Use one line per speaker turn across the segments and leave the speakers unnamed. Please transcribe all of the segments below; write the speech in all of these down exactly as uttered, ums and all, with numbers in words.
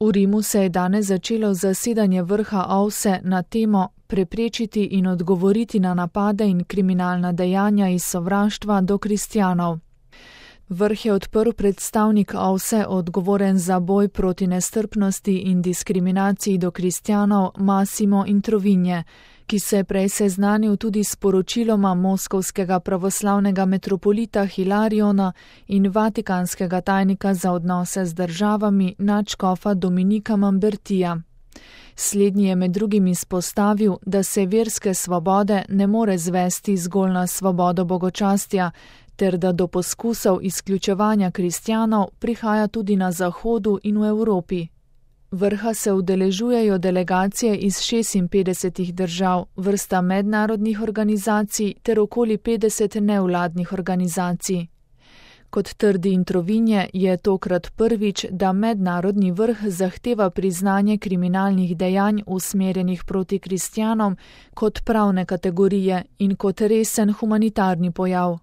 V Rimu se je danes začelo zasedanje vrha O V S E na temo preprečiti in odgovoriti na napade in kriminalna dejanja iz sovraštva do kristjanov. Vrh je odprl predstavnik O V S E odgovoren za boj proti nestrpnosti in diskriminaciji do kristjanov Massimo Introvigne, ki se je prej seznanil tudi s poročiloma moskovskega pravoslavnega metropolita Hilariona in vatikanskega tajnika za odnose z državami nadškofa Dominika Mambertija. Slednji je med drugim izpostavil, da se verske svobode ne more zvesti zgolj na svobodo bogočastja, ter da do poskusov izključevanja kristjanov prihaja tudi na Zahodu in v Evropi. Vrha se udeležujejo delegacije iz šestinpetdesetih držav, vrsta mednarodnih organizacij ter okoli petdeset nevladnih organizacij. Kot trdi Introvigne, je tokrat prvič, da mednarodni vrh zahteva priznanje kriminalnih dejanj usmerjenih proti kristjanom kot pravne kategorije in kot resen humanitarni pojav.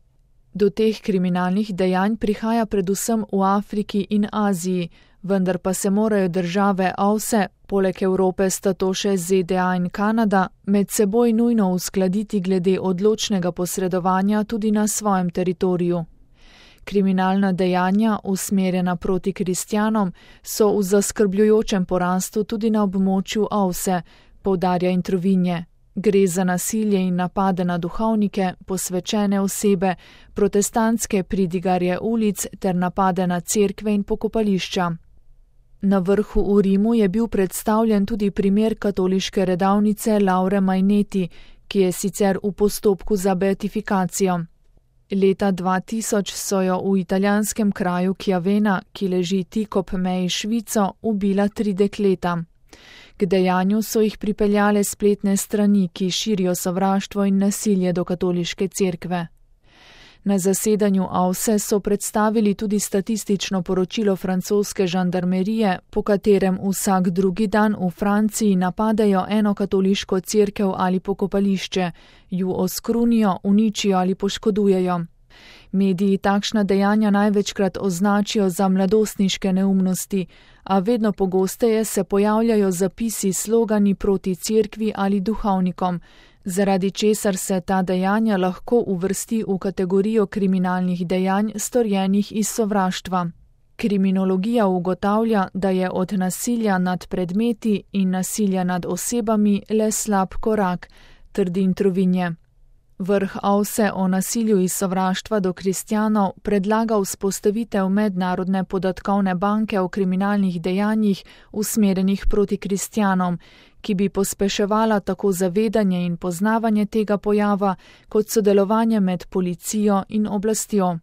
Do teh kriminalnih dejanj prihaja predvsem v Afriki in Aziji, vendar pa se morajo države O V S E, poleg Evrope sta to še Z D A in Kanada, med seboj nujno uskladiti glede odločnega posredovanja tudi na svojem teritoriju. Kriminalna dejanja, usmerjena proti kristjanom, so v zaskrbljujočem porastu tudi na območju O V S E, poudarja Introvigne. Gre za nasilje in napade na duhovnike, posvečene osebe, protestantske pridigarje ulic ter napade na cerkve in pokopališča. Na vrhu v Rimu je bil predstavljen tudi primer katoliške redavnice Laure Maineti, ki je sicer v postopku za beatifikacijo. Leta dva tisoč so jo v italijanskem kraju Chiavenna, ki leži tik ob meji s Švico, ubila tri dekleta. K dejanju so jih pripeljale spletne strani, ki širijo sovraštvo in nasilje do katoliške cerkve. Na zasedanju O V S E so predstavili tudi statistično poročilo francoske žandarmerije, po katerem vsak drugi dan v Franciji napadejo eno katoliško cerkev ali pokopališče, ju oskrunijo, uničijo ali poškodujejo. Mediji takšna dejanja največkrat označijo za mladostniške neumnosti, a vedno pogosteje se pojavljajo zapisi slogani proti cerkvi ali duhovnikom, zaradi česar se ta dejanja lahko uvrsti v kategorijo kriminalnih dejanj storjenih iz sovraštva. Kriminologija ugotavlja, da je od nasilja nad predmeti in nasilja nad osebami le slab korak, trdi Introvigne. Vrh O V S E o nasilju iz sovraštva do kristjanov predlaga vzpostavitev mednarodne podatkovne banke o kriminalnih dejanjih usmerjenih proti kristjanom, ki bi pospeševala tako zavedanje in poznavanje tega pojava kot sodelovanje med policijo in oblastjo.